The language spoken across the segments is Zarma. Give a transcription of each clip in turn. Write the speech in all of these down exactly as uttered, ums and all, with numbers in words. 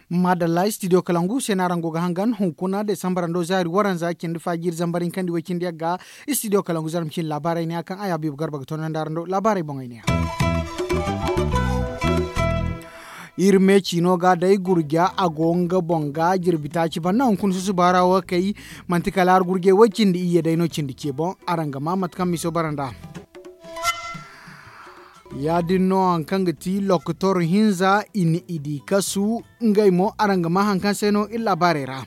Madalla studio kalangu se no araŋ go ga hangan hunkuna desambar ando zaari waranza cindi faaji iri zambar hinkandi way cindi yagga. Studio kalangu zarma cindi laabaarey ne ya kaŋ ay habiibu garba ga toonandi araŋ do laabaarey boŋey ne ya. Iri me ciino ga day gurja a go nga boŋ ga jirbi taaci banda hunkuna susuba ra wo kay. Manti kala hari gurjey way cindi iyye day no cindi ce boŋ. Araŋ ga ma mate kaŋ miso bara nd'a. Ya- din no hari kaŋ ga ti lokotor hinza i na i di kasu. Ngey mo araŋ ga ma hari kaŋ se no iri laabaarey ra.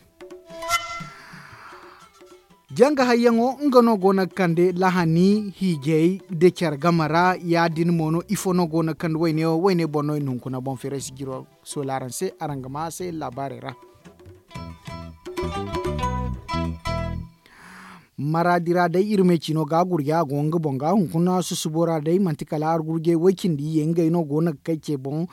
Janga hayyaŋo nga no go no ga kande lahani hiijay nda care game ra. Ya- din mo no ifo no go no ga kande wayne wo wayne boŋ no i na hunkuna boŋ feeray si jiro soola araŋ se araŋ ga ma a se laabaarey ra. Maraadi ra day iri me ciino ga gurja a go nga boŋ ga hunkuna susubo ra day manti kala argurjey way cindi iyye ngey no go no ga kay ce boŋ.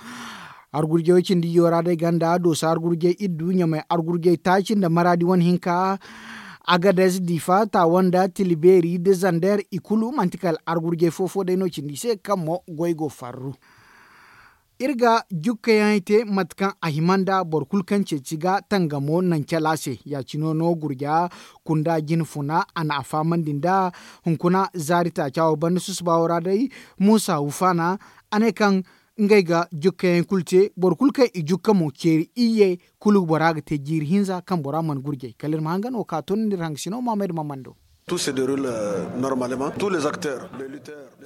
Argurjey way cindi iyyo ra day ganda dooso argurjey iddu ɲamay argurjey taaci nda maraadi wane hinka. Agadez difa taawa nda tilibeeri nda zander i kulu manti kala argurjey fo-fo day no cindi se kaŋ mo goy go farru. Iri ga jukkayaŋey te mate kaŋ a hima nda boro kulu kaŋ ceeci ga tangamo naŋ cala se ya- cine no gurja kunda jine funa a na a fahamandi nda hunkuna zaari taaca wo banda susuba wo ra day. Muusa wufaana a ne kaŋ ngey ga jukkayaŋey kulu te boro kulu kaŋ i jukka mo ceeri iyye kulu bora ga te jiiri hinza kaŋ bora mana gurjay kala iri ma hangan wo ka toonandi iri hangasino maamay nda maamando.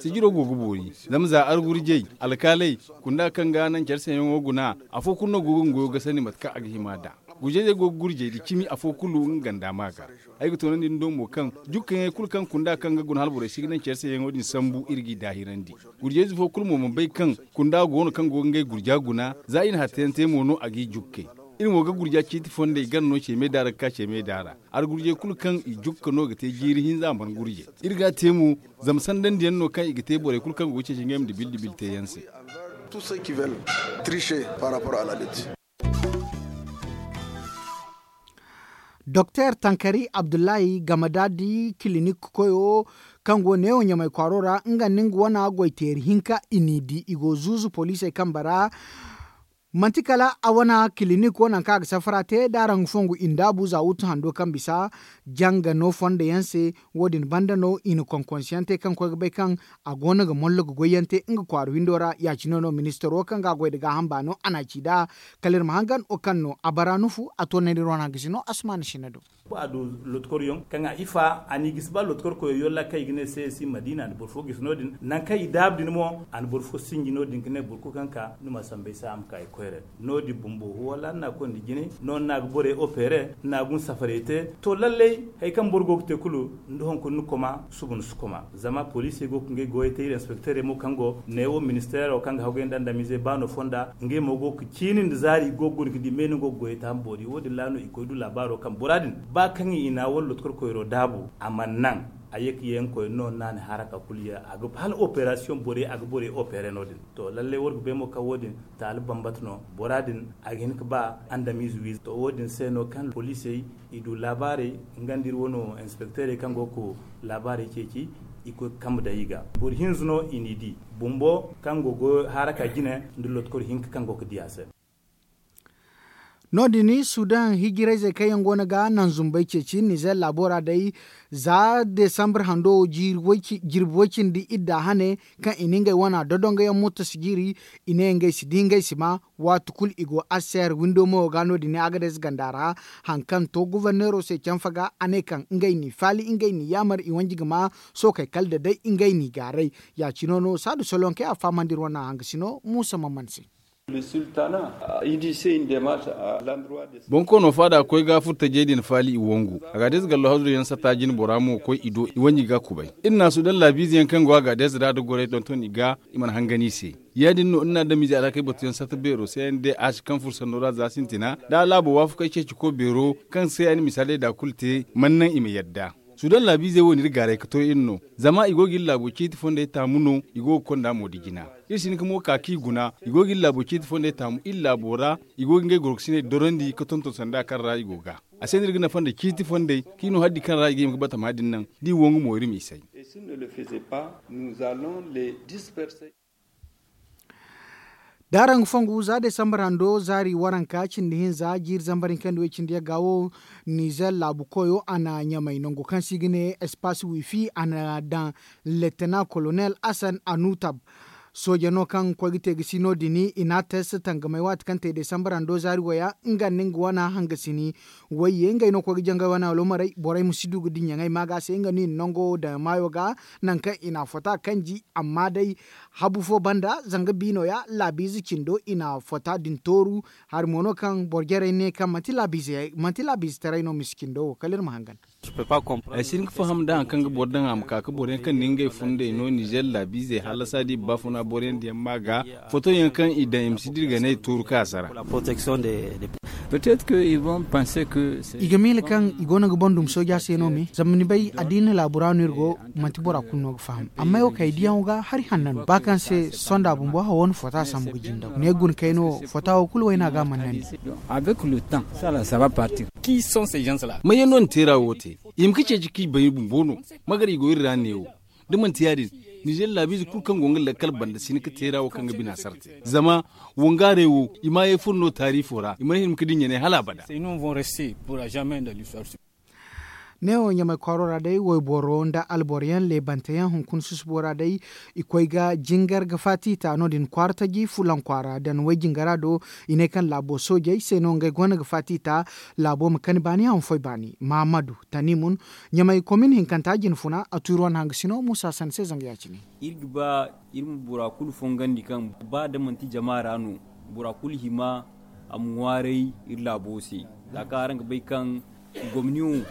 Sijiro go ga boori zama za argurjey alkaaley kunda kaŋ ga naŋ care sayaŋo guna. Afo kulu no go ga nga goyo ga sandi mate kaŋ a ga hima nd'a. Gurjey day go ga gurjey da cimi afo kulu nga ganda ma ga. Ay ga toonandi ni do mo kaŋ jukkayaŋey kulu kaŋ kunda kaŋ ga guna hala borey si ga naŋ care sayaŋo din sambu iri g'i daahirandi. Gurjey ize fo kulu mo mana bay kaŋ kunda go no kaŋ go ga ngey gurja guna za i na hattayaŋ te mo no a g'i jukkay. Iri mo ga gurja ciiti fondey gana no ceemey daara ga ka ceemey daara. Argurjey kulu kaŋ i jukka no ga te jiiri hinza mana gurjey. Iri ga a te mo zama sandandiyaŋ no kaŋ i ga te borey kulu kaŋ go ga ceeci ngey ma dibil dibil teeyaŋ se. Doktor tankari abdullahi game da di kilinik koyo kaŋ go neewo ɲamay kwaaro ra nga nda nga wana goyteeri hinka i n'i di i go zuuzu poliisey kambe ra. Manti kala a wana kilinik wo nangu kaŋ a ga safara te da araŋ ga fongu i ndaabu za wuttu hando kaŋ bisa janga no fondo yaŋ se. Wo- din banda no i na konkonsiyaŋ te kaŋ koy ga bay kaŋ a go no ga mollo ga goyyaŋ te nga kwaara windo ra ya- cine no ministaro kaŋ ga a goy nda gaaham baano a n'a ci nd'a. Kala iri ma hangan wo kaŋ no a bara nufu a toonandi iri wane hangasino asmaana sinna do. Ba a du lotkor yaŋ kaŋ a ifa a n'i gisi ba lotkor koyo yolla kaŋ i ga ne se si madiina a na boro fo gisi no- din nangu kaŋ i daabu din mo a na boro fo sinji no- din ga ne boro kulu kaŋ ka ni ma sambu ay se a ma ka ay koyre. No- din bumbo wala ni n'a koy nda jine no ni n'a ga borey opere ni n'a ga ni safarey te. To lallay hari kaŋ boro go ga te kulu ni da hunkuna ni koma suba ni si koma zama poliisey go ga ngey goyey te iri inspekteerey mo kaŋ go neewo ministeero kaŋ ga haggoy nda andamiizey ba no fonda ngey mo go ga ciini nda zaari i go ga guna ga di me no go ga goyey te ham boori wo- din ra no i koy du laabaaro kaŋ bora din ba kaŋ i na wala lotkor koyro daabu a mana naŋ. A ye ka ye nga koy no no a na haraka kulu ye a ga hala operasiyoŋ borey a ga borey opere no- din. To lallay war ga bay mo kaŋ wo- din taali bambata no bora din a ga hin ga ba andamiize wiiza to wo- din se no kaŋ poliisey i du laabaarey nga nda iri wano inspekteerey kaŋ go ga laabaarey ceeci i koy ga kambe daŋ i ga boro hinza no i n'i di bumbo kaŋ go ga haraka jine nda lotkor hinka kaŋ go ga di a se. No- din sudan hijirayzey kaŋ yaŋ go no ga naŋ zumbey ceeci nizer laabo ra day za desambar hando jirbi way cindi idda hane kaŋ i na ngey wana dodongo yaŋ murtasi jiiri i ne ngey si di ngey si ma waati kulu i go aser windo mayo ga no- din agadez ganda ra. Hari kaŋ to goforneero se canfa ga a ne kaŋ ngey n'i faali ngey n'i yaamar i wanji ga ma sookey kala da day ngey n'i gaaray. Ya- cino no saadu solonkey a fahamandi iri wane hangasino muusa mamman se. Bonkoono faada koy ga furtajey din faali i wangu. Agadez gallo hazuru yaŋ sata jine bora mo koy i do i wanji ga kubay. Iri na sudan laabiize yaŋ kaŋ go agadez ra da gorey tonton i ga i mana hangan i se. Ya- din no iri na adamize alhakey batuyaŋ sata beero se yaŋ de a si kaŋ fursanno ra za sintina da a laabo waafakey ceeci ko beero kaŋ se a na misaaley da kulu te mana naŋ i ma yadda. Sudan laabiizey wo na iri gaaray ga to iri no zama i go ga iri laabo ciiti fondey taamu no i go ga konda mo da jina. Iri si hin ga mo ka kaŋ i guna i go ga iri laabo ciiti fondey taamu iri laabo ra. I go ga ngey goroksiney dorandi ga tonton sanda kaŋ ra i go ga. A se no iri ga nafa nda ciiti fondey kaŋ i no hari di kaŋ ra i ga hima ga batama din naŋ da i wangu mo iri m'i say. Da araŋ ga fongu za desambar hando zaari waranka cindi hinza jiiri zambar hinka nda way cindi yagga wo, nizer laabu koyo a na ɲamay nangu kaŋ se i ga ne espace wifi a na daŋ. Letena kolonel asan anutab sooje no kaŋ koy ga te ga si no- din i n'a test tangamay waati kaŋ te desambar hando zaari waya nga nda nga wana hangasini. Wayye ngey no koy ga jangay wana wala maray borey ma si du ga dinya ŋey ma ga se nga no i na nango daŋ maayo ga. Nangu kaŋ i n'a fota kanji amma day habu fo banda zanga biino ya laabiize cindo i n'a fota din tooru. Hari mo no kaŋ boro jarey ne kaŋ manti laabiize taray no misi cindo wo kala iri ma hangan. Ay si hin ga faham da hari kaŋ ga boro daŋ a ma ka ga boro yaŋ kaŋ na ngey fundey no nizer laabiizey hallasa da i ba funa boro yaŋ diyaŋ ma ga foto yaŋ kaŋ i daŋ i ma si dira ga ne tooru kaŋ a sara. I ga miila kaŋ i go no ga boro dumi sooja se no me zama ni bay addiina laabu ra no iri go. Manti bora kulu no ga faham amma ay wo kaŋ ay diyaŋo ga hari hanna no ba kaŋ se sonda bumbo hawo na fota sambu ga jindaw ne guna kayno fota wo kulu wayna ga a mana nandi. Maye no na teera wo te? I ma ka ceeci kaŋ i bay bumbo no. Magari go iri ra neewo da manti ya- din nizer laabiize kulu kaŋ go nga lakkal banda si hin ga teera wo kaŋ ga bina sarte zama wangaaray wo i ma ye furo no taarifo ra i mana hin ga dinya ne hala abada. Neewo ɲamay kwaaro ra day wayboro nda alboro yaŋ leebante yaŋ hunkuna susubo ra day i koy ga jingar ga faati ta no- din kwaara taji fulaŋ kwaara daŋ way jingara do. I ne kaŋ laabo soojey se no ngey go no ga faati ta laabo ma kani baani a ma foy baani mahamadu tanimun ɲamay komin hinkanta jinfuna a tuuri wane hangasino muusa sanni se zanga ya- cine. Iri ga ba iri ma bora kulu fongandi kaŋ ba da manti jama ra no bora kulu hima a ma ŋwaaray iri laabo se. Za kaŋ araŋ ga bay kaŋ gomni wo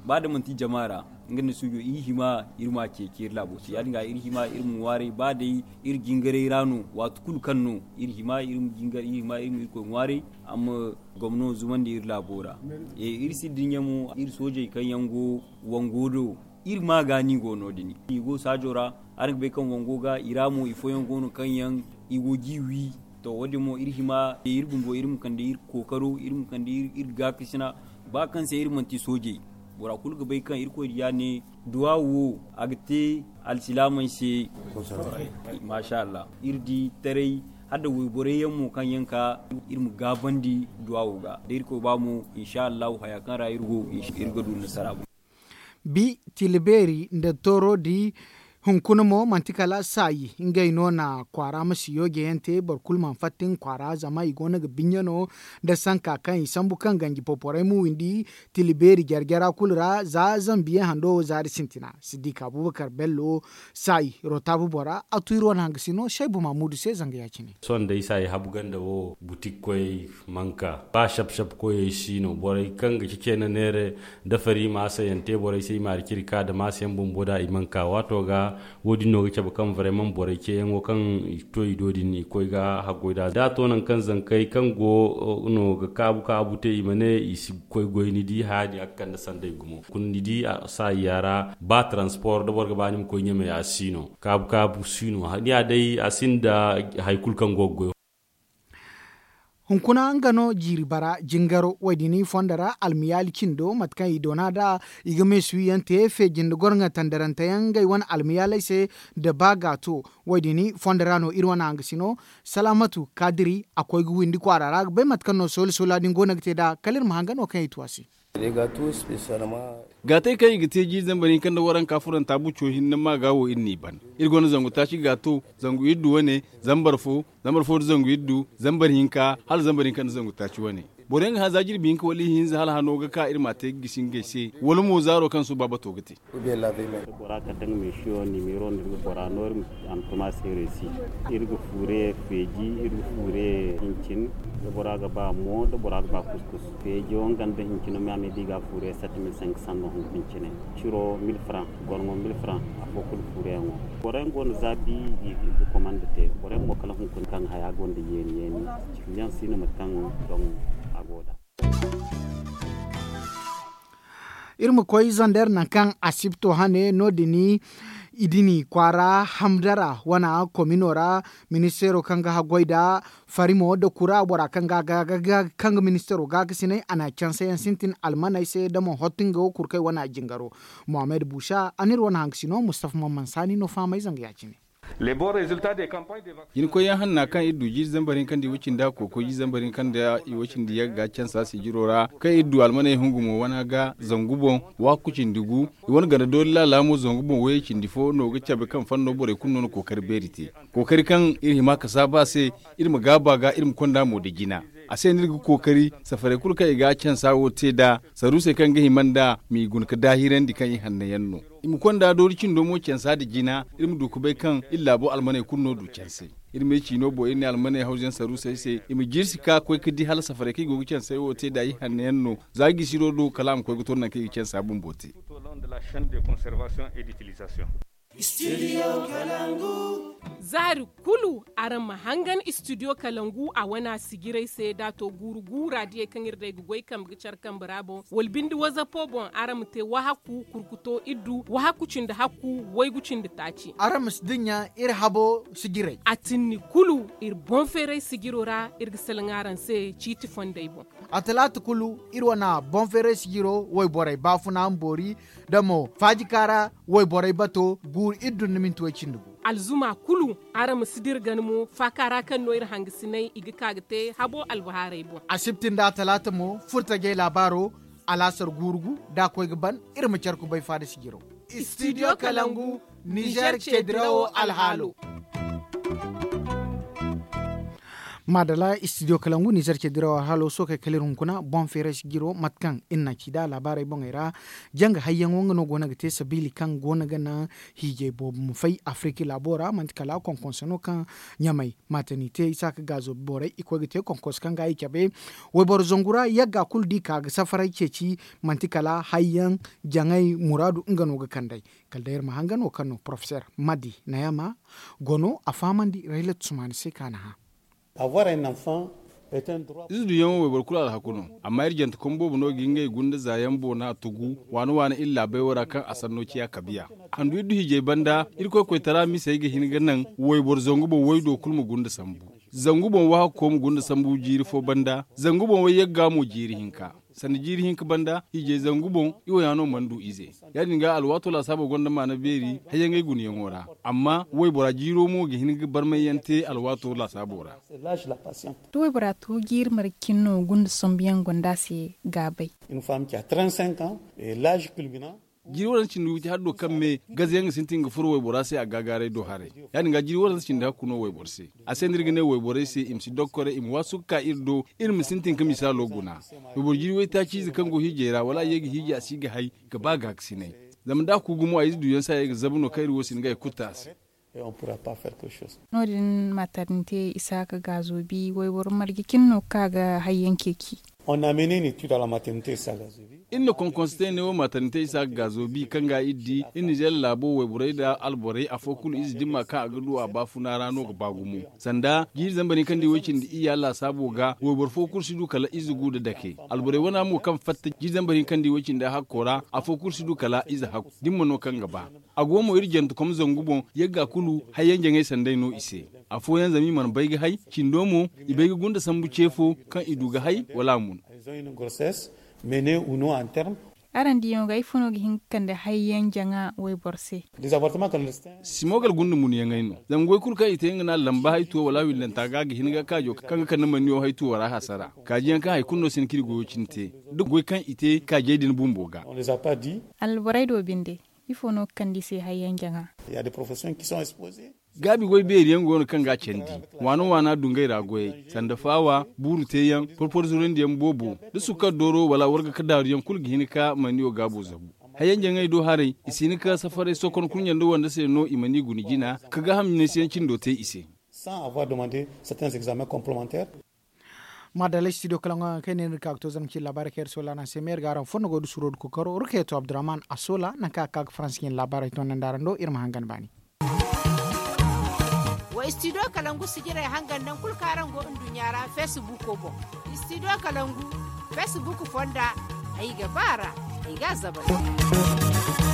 ba da manti jama ra nga nda suujo iri hima iri ma a ceeci iri laabo se ya- din ga iri hima iri ma ŋwaaray ba day iri jingaray ra no waati kulu kaŋ no iri hima iri ma irkoy ŋwaaray a ma gomno zumandi iri laabo ra. Iri si dinya mo iri soojey kaŋ yaŋ go wango do iri ma ga no i go no- din i go saajo ra. Araŋ ga bay kaŋ wango ga i ra mo ifooyaŋ go no kaŋ yaŋ i go ga i wi. To wo- din mo iri hima iri bumbo iri ma kande iri kookaro iri ma kande iri gaakasina ba kaŋ se iri manti soojey. Bora kulu ga bay kaŋ irkoy diya ne duwaawu wo a ga te alsilaamey se. Maasa allah iri di taray hala da wayborey yaŋ mo kaŋ yaŋ ka iri ma gaabandi duwaawo ga da irkoy ba mo insa allahu haya kaŋ ra iri go iri ga du nasara. Bi tila beeri nda tooro di hunkuna mo manti kala saayi ngey no na kwaara ma si yooje yaŋ te boro kulu mana fatta nga kwaara zama i go no ga binya no nda sanka kaŋ i sambu kaŋ ganji poporey ma windi. Tila beeri jare jara kulu ra za zambiye hando wo zaari sintina siddiika abubakar bello saayi rotaabu bora a tu iri wane hangasino seybu maamudu se zanga ya- cine. Sohõ day saayi habu ganda wo butik koyey mana ka ba sap sap koyey si no borey kaŋ ga ceeci neera dafari maasa yaŋ te borey se i ma hari ciri ka da maasa yaŋ bumbo da i mana ka waato ga. Wo- din no ga cabe kaŋ vraiment borey ceeyaŋo kaŋ i to i do din i koy ga haggoy nd'a da a to nangu kaŋ zankey kaŋ go no ga kaabu kaabu te i ma ne i si koy goy ni di haya din a ga kande sanday gumo hunkuna ni di saayiya ra ba transport da boro ga ba ni ma koy ɲamey a si no kaabu kaabu si no ni ya day a sinda hari kulu kaŋ go ga goy. Hunkuna nga no jiiri bara jingaro wo- din i fondo ra almiyaali cindo mate kaŋ i doona nd'a i ga meesu wi yaŋ te feeji nda gorŋa tandarante yaŋ ngey wane almiyaaley se. Nda ba gaato wo- din i fondo ra no iri wane hangasino salaamatu kaadiri a koy ga windi kwaara ra ga bay mate kaŋ no soola soola din go no ga te nd'a kala iri ma hangan wo kaŋ i tu a se. Gaatey kaŋ i ga te jiiri zambar hinka nda waranka furanta buco hinne ma ga wo iri n'i ban. Iri gonda zangu taaci gaato zangu iddu wane zambar fo zambar fo nda zangu iddu zambar hinka hala zambar hinka nda zangu taaci wane. Boro yaŋ ga hã za jirbi hinka wala ihinza hala hano ga ka iri m'a te ga gisi ngey se wala mo zaaro kaŋ suba bato ga te. Da bora kala da nga meesiyo nimero nda iri ga bora no iri ma a ma tuma se reesi. Iri ga fuure feeji iri ga fuure hincin. Da bora ga ba mo da bora ga ba kuskus feejo nga nda hincino me a ma i di ga fuure sept mille cinq cents no hunkuna cine. Ciro mille franc gorŋo mille franc afo kulu fuureyaŋo. Boro yaŋ go no za bi i ga komanda te boro yaŋ mo kala hunkuna kaŋ haya gonda yeeni yeeni. Kiliyaŋ si no mate kaŋ doŋ a go nd'a. Iri ma koy zander nangu kaŋ asibto hane no- din Idini kwaara hamdara wana komino ra, ministeero kaŋ ga haggoy nda farimo nda kura bora kaŋ ga ga ga ga kaŋ ga ministeero gaakasinay a na canse yaŋ sintin almaney se nda mo hottu nga wo kulu kaŋ ay wane a jingaro. Mohammed busa a n'iri wane hangasino mustafa mamman saani no fahamay zanga ya- cine. Jinkoy yaŋ hanna kaŋ iri du jiiri zambar hinka nda i wo cindi a kokoy jiiri zambar hinka nda i wo cindi yagga cansa sijiro ra kaŋ iri du almaney hungu mo wana ga zangu boŋ, waaku cindi gu. I wane ganda doori laala mo zangu boŋ wayey cindi fo no ga cabe kaŋ fanno borey kulu no na kookari beeri te. Kookari kaŋ iri hima ka saabu a se, iri ma gaaba ga iri ma konda mo nda jina. A se no iri ga kookari safarey kulu kaŋ i ga cansa wo te nd'a, saruusey kaŋ ga hima nd'a m'i guna ga daahirandi kaŋ i hanno yaŋ no. I ma konda doori cindo mo cansa nda jina, iri ma du ga bay kaŋ iri laabo almaney kulu no du canse. Iri ma ay ciino boŋ iri ne almaney hawzayaŋ saruusey se i ma jirsi ka koy ga di hala safarey kaŋ i go ga canse wo te nd'a i hanno yaŋ no. Za gisiro do kala a ma koy ga to nangu kaŋ i ga cansa bumbo te. Zaari kulu araŋ ma hangan istidiyo kalangu a wana sijiray se da a to guuru guura diyey kaŋ iri day ga goy kambe ga care kambe ra boŋ wala binde wazapo boŋ araŋ ma te wahakku kurkuto iddu wahakku cindi hakku waygu cindi taaci. Araŋ ma si dinya iri habo sijiray a tinni kulu iri boŋ feeray sijiro ra iri ga salaŋ araŋ se ciiti fondey boŋ. A talaata kulu iri wane boŋ feeray sijiro wayborey baafuna ma boori da mo faajika ra wayborey bato guuru iri dun na minti way cindi gu. Alzuma kulu araŋ ma si dira gana mo faaka ra kaŋ no iri hangasinay i ga ka ga te habo albahaarey boŋ. Asibti nda a talaata mo furtajey laabaaro alaasar guuru gu da a koy ga ban iri ma care kubay faada sijiro. Istidiyo kalangu nizer ceedirawo alhaalo. Maadala istidiyo kalangu nizer ceedirawo alhaalo sookey kala iri hunkuna boŋ feeray sijiro mate kaŋ iri na ci nd'a laabaarey boŋey ra. Janga hayyaŋo nga no go no ga te sabiili kaŋ go no ga naŋ hiijay boobo ma fay afiriki laabo ra manti kala konkonse no kaŋ ɲamay matanite isaaka gaazo borey i koy ga te konkonse kaŋ ga i cabe. Wayboro zangu ra yagga kulu da i ka ga safaray ceeci manti kala hayyaŋ jaŋay muraadu nga no ga kand'ey. Kala day iri ma hangan wo kaŋ no porofeseer madi nayama go no a fahamandi raylat sumaani se kaŋ a na hã. Ize duyaŋo wayboro kulu alhaku no. Amma iri jantekom boobo no ga ngey gunda zaayaŋ boona tugu waana waana iri laabey wo ra kaŋ a sanno ciya kabiya. Handu iri du hiijay banda irkoy koytara misey ga hin ga naŋ wayboro zangu boŋ waydo kulu ma gunda sambu. Zangu boŋ wahakko ma gunda sambu jiiri fo banda zangu boŋ wayyagga mo jiiri hinka. Sanda jiiri hinka banda hiijay zangu boŋ i wo ya no mana du ize. Ya- din ga alwaato laasaabo gonda maana beeri hayyaŋey gunayaŋo ra. Amma waybora jiiro mo ga hin ga barmayyaŋ te alwaato laasaabo ra. Da waybora to jiiri marga cine no gunda sambuyaŋ gonda a se gaabay. Jiiri waranza cindi witi haddo kaŋ me gazayaŋ ga sintin ga furo waybora se a gaagaaray do haray. Ya- din ga jiiri waranza cindi hakku no wayboro se. A se no iri ga ne wayborey se i ma si dokkoray i ma waasu ga ka iri do iri ma sintin ga misaalo guna. Wayboro jiiri waytaaci ize kaŋ go hiijay ra wala a ye ga hiiji a si ga hay ga ba gaakasinay. Zama da a ku gumo a ize duyaŋ se a ye ga zabu no kaŋ iri wo si hin ga hay kutta a se. No- din matarnite isaaka gaazo bi wayboro marje cine no ga ka ga hayyaŋ ceeci. Iri na konkonse te ne wo matarnite isaaka gaazo bi kaŋ ga iri di iri nizeer laabo wayborey nda alborey afo kulu ize dimma kaŋ a ga du a baafuna ra no ga ba gumo. Sanda jiiri zambar hinka nda i way cindi iyya laasaabo ga wayboro fo kulu si du kala ize gu nda dake. Alborey wana mo kaŋ fatta jiiri zambar hinka nda i way cindi hakko ra afo kulu si du kala ize hakku da ni ma no kaŋ ga ba. A go mo iri jantekom zangu boŋ yagga kulu hayyaŋ jaŋay sanday no i se. Afooyaŋ zama i mana bay ga hay cindo mo i bay ga gunda sambu ce fo kaŋ i du ga hay wala a mun. Araŋ diyaŋo ga ifo no ga hin ga kande hayyaŋ jaŋa wayboro se? Simogal gunda munyaŋey no. Zama goy kulu kaŋ i te nga no a lamba haytuwo wala a willanta ga ga hin ga kaajo kaŋ ga kande maniyo haytuwo ra hasara. Kaajiyaŋ kaŋ hari kulu no si hin ka iri goyo cine te da goy kaŋ i te kaajey din bumbo ga. Alborey do binde ifo no ga kande i se hayyaŋ jaŋa? Gaabi goy beeri yaŋ go no kaŋ ga a candi. Waana waana dungey ra goyey sanda faawa buuru teeyaŋ porpor zurandi yaŋ boobo da sukkar dooro wala warga ka daaru yaŋ kulu ga hin ka maniyo gaabo zabu. Hayyaŋ jaŋey do haray i si hin ka safaray sokon kurɲe nda wande se no i mana i guna jina ka gaaham jinaysiyaŋ cindo te i se. Maadalla studio kalaŋo yaŋ kaŋ ay ne no iri ka ga to zarma cine laabaarey kaŋ iri soola araŋ se me iri ga araŋ fonda goy da suro da kookaro rukayatu abdurrahman a soola nangu kaŋ a ga ka ga faransi cine laabaarey toonandi araŋ do iri ma hangan baani. Wa studio kalangu sijirey hangan nangu kulu kaŋ araŋ go nduɲɲa ra feesibuuko boŋ. Studio kalangu feesibuuk fonda ay ga ba a ra ay ga a zabari.